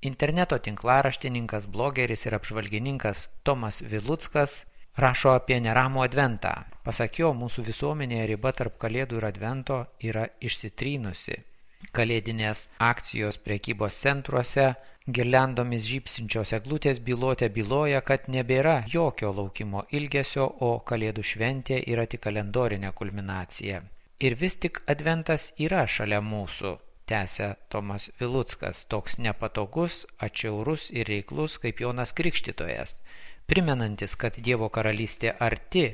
Interneto tinklaraštininkas, blogeris ir apžvalgininkas Tomas Viluckas rašo apie neramų adventą. Pasak jo, mūsų visuomenėje riba tarp Kalėdų ir Advento yra išsitrynusi. Kalėdinės akcijos prekybos centruose, girliandomis žybsinčios eglutės byloja, kad nebėra jokio laukimo ilgesio, o Kalėdų šventė yra tik kalendorinė kulminacija. Ir vis tik Adventas yra šalia mūsų, tęsia Tomas Viluckas, toks nepatogus, atšiaurus ir reiklus kaip Jonas Krikštytojas, primenantis, kad Dievo karalystė arti,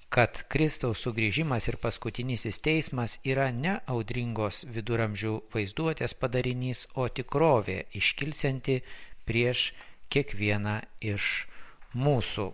kad Kristaus sugrįžimas ir paskutinysis teismas yra ne audringos viduramžių vaizduotės padarinys, o tikrovė iškilsianti prieš kiekvieną iš mūsų,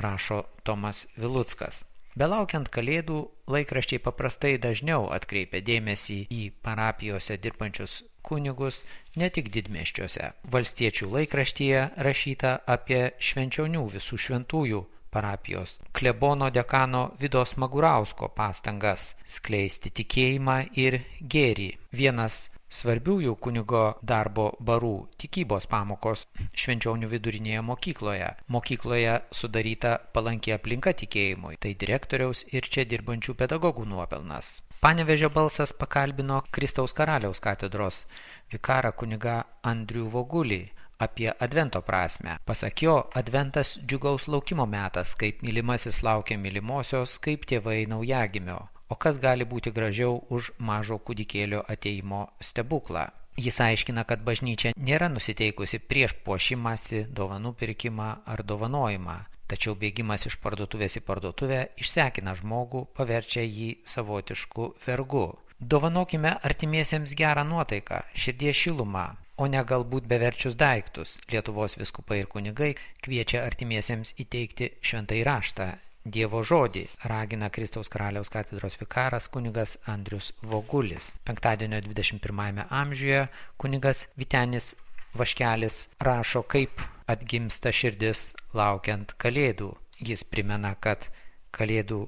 rašo Tomas Viluckas. Belaukiant Kalėdų, laikraščiai paprastai dažniau atkreipia dėmesį į parapijose dirbančius kunigus, ne tik didmiesčiuose. Valstiečių laikraštyje rašyta apie Švenčionių visų šventųjų parapijos klebono dekano Vidos Magurausko pastangas skleisti tikėjimą ir gėrį. Vienas svarbiųjų kunigo darbo barų tikybos pamokos Švenčionių vidurinėje mokykloje. Mokykloje sudaryta palanki aplinka tikėjimui, tai direktoriaus ir čia dirbančių pedagogų nuopelnas. Panevėžio balsas pakalbino Kristaus karaliaus katedros vikarą kunigą Andrių Vogulį apie Advento prasmę. Pasak jo, Adventas džiugaus laukimo metas, kaip mylimasis laukia mylimosios, kaip tėvai naujagimio. O kas gali būti gražiau už mažo kūdikėlio ateimo stebuklą? Jis aiškina, kad bažnyčia nėra nusiteikusi prieš puošimąsi, dovanų pirkimą ar dovanojimą, tačiau bėgimas iš parduotuvės į parduotuvę išsekina žmogų, paverčia jį savotišku vergu. Dovanokime artimiesiems gerą nuotaiką, širdies šilumą, o ne galbūt beverčius daiktus. Lietuvos vyskupai ir kunigai kviečia artimiesiems įteikti šventąjį raštą, Dievo žodį, ragina Kristaus karaliaus katedros vikaras kunigas Andrius Vogulis. Penktadienio 21 amžiuje kunigas Vytenis Vaškelis rašo, kaip atgimsta širdis laukiant Kalėdų. Jis primena, kad Kalėdų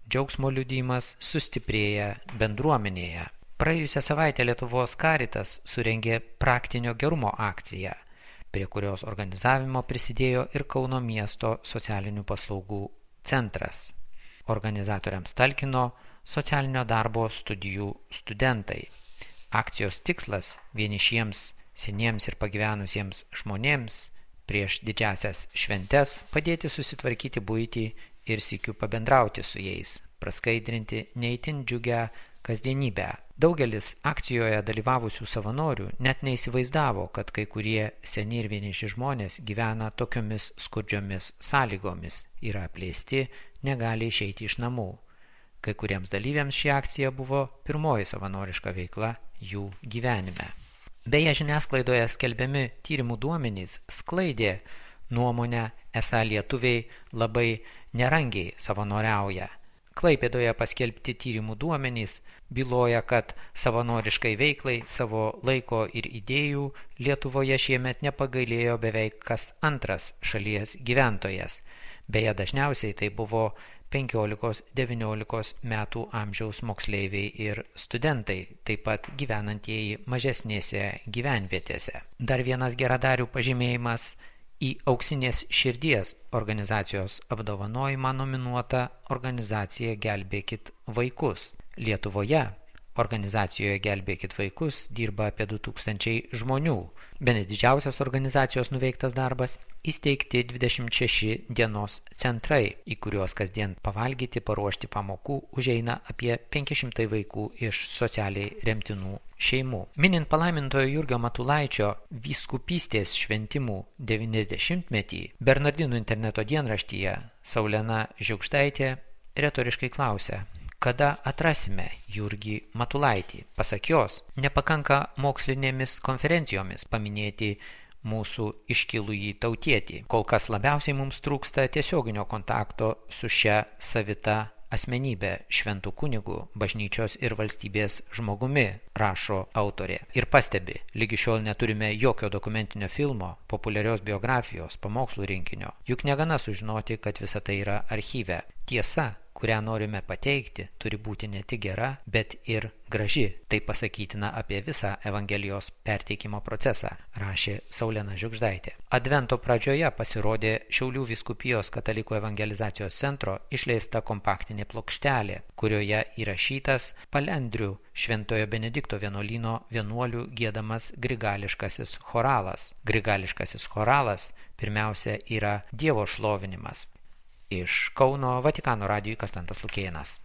džiaugsmo liudijimas sustiprėja bendruomenėje. Praėjusią savaitę Lietuvos Karitas surengė praktinio gerumo akciją, prie kurios organizavimo prisidėjo ir Kauno miesto socialinių paslaugų centras. Organizatoriams talkino socialinio darbo studijų studentai. Akcijos tikslas vienišiems, seniems ir pagyvenusiems žmonėms prieš didžiasias šventes padėti susitvarkyti buitį ir sykiu pabendrauti su jais, praskaidrinti neįtin džiugę kasdienybę. Daugelis akcijoje dalyvavusių savanorių net neįsivaizdavo, kad kai kurie seni ir vieniši žmonės gyvena tokiomis skurdžiomis sąlygomis, yra apleisti, negali išeiti iš namų. Kai kuriems dalyviams ši akcija buvo pirmoji savanoriška veikla jų gyvenime. Beje, žiniasklaidoje skelbiami tyrimų duomenys sklaidė nuomonę, esą lietuviai labai nerangiai savanoriauja. Klaipėdoje paskelbti tyrimų duomenys byloja, kad savanoriškai veiklai savo laiko ir idėjų Lietuvoje šiemet nepagailėjo beveik kas antras šalies gyventojas. Beje, dažniausiai tai buvo 15-19 metų amžiaus moksleiviai ir studentai, taip pat gyvenantieji mažesnėse gyvenvietėse. Dar vienas geradarių pažymėjimas: į Auksinės širdies organizacijos apdovanojimą nominuota organizacija Gelbėkit vaikus. Lietuvoje organizacijoje Gelbėkit vaikus dirba apie 2000 žmonių. Bene didžiausias organizacijos nuveiktas darbas – įsteigti 26 dienos centrai, į kuriuos kasdien pavalgyti, paruošti pamokų užeina apie 500 vaikų iš socialiai remtinų šeimų. Minint palaimintojo Jurgio Matulaičio vyskupystės šventimų 90-metį, Bernardinų interneto dienraštyje Saulena Žiugždaitė retoriškai klausia: kada atrasime Jurgį Matulaitį? Pasak jos, nepakanka mokslinėmis konferencijomis paminėti mūsų iškilųjį tautietį. Kol kas labiausiai mums trūksta tiesioginio kontakto su šia savita asmenybė, šventų kunigų, bažnyčios ir valstybės žmogumi, rašo autorė. Ir pastebi, lygi šiol neturime jokio dokumentinio filmo, populiarios biografijos, pamokslų rinkinio. Juk negana sužinoti, kad visa tai yra archyve. Tiesa, kurią norime pateikti, turi būti ne tik gera, bet ir graži. Tai pasakytina apie visą Evangelijos perteikimo procesą, rašė Saulena Žiugždaitė. Advento pradžioje pasirodė Šiaulių vyskupijos katalikų evangelizacijos centro išleista kompaktinė plokštelė, kurioje įrašytas Palendrių Šventojo Benedikto vienuolyno vienuolių giedamas grigališkasis choralas. Grigališkasis choralas pirmiausia yra Dievo šlovinimas. Iš Kauno Vatikano radijui Kastantas Lukėnas.